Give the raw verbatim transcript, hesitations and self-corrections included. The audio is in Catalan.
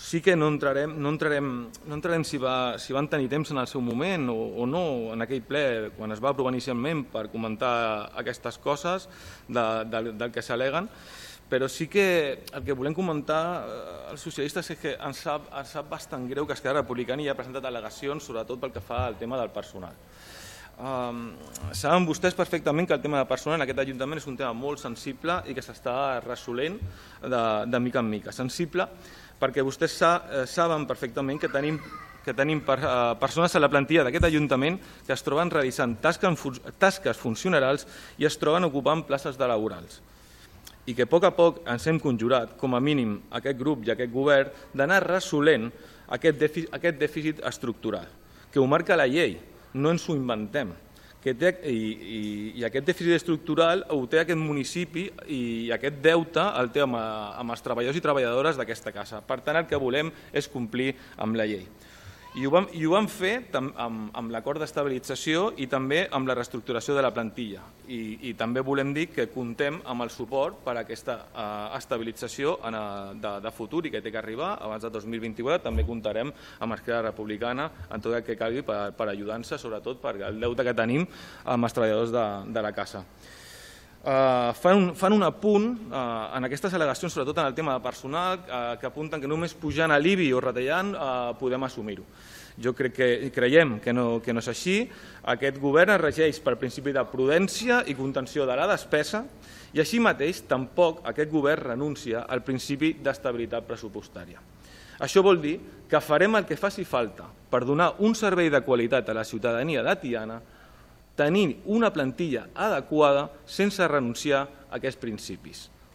sí que no entrarem, no entrarem, no entrarem si, va, si van tenir temps en el seu moment o, o no, en aquell ple, quan es va aprovar inicialment per comentar aquestes coses de, de, del que s'al·leguen, però sí que el que volem comentar els socialistes és que ens sap, ens sap bastant greu que Esquerra Republicana hi ha presentat al·legacions, sobretot pel que fa al tema del personal. Um, saben vostès perfectament que el tema de personal en aquest Ajuntament és un tema molt sensible i que s'està resolent de, de mica en mica. Sensible perquè vostès sa, eh, saben perfectament que tenim, que tenim per, eh, persones a la plantilla d'aquest Ajuntament que es troben realitzant tasques, tasques funcionals i es troben ocupant places de laborals. I que a poc a poc ens hem conjurat, com a mínim aquest grup i aquest govern, d'anar resolent aquest dèficit, aquest dèficit estructural, que ho marca la llei, no ens ho inventem. Que té, i, i, I aquest dèficit estructural ho té aquest municipi i aquest deute el té amb, amb els treballadors i treballadores d'aquesta casa. Per tant, el que volem és complir amb la llei. I ho vam, i ho vam fer tam, amb, amb l'acord d'estabilització i també amb la reestructuració de la plantilla. I, i també volem dir que comptem amb el suport per a aquesta uh, estabilització en, uh, de, de futur i que té que arribar abans de dos mil vint-i-quatre. També comptarem amb Esquerra Republicana en tot el que calgui per, per ajudar-nos, sobretot per el deute que tenim amb els treballadors de, de la casa. Uh, fan, un, fan un apunt uh, en aquestes al·legacions, sobretot en el tema de personal, uh, que apunten que només pujant a l'I B I o retallant uh, podem assumir-ho. Jo crec que creiem que no, que no és així. Aquest govern es regeix pel principi de prudència i contenció de la despesa i així mateix tampoc aquest govern renuncia al principi d'estabilitat pressupostària. Això vol dir que farem el que faci falta per donar un servei de qualitat a la ciutadania de Tiana, tenint una plantilla adequada sense renunciar a aquests principis.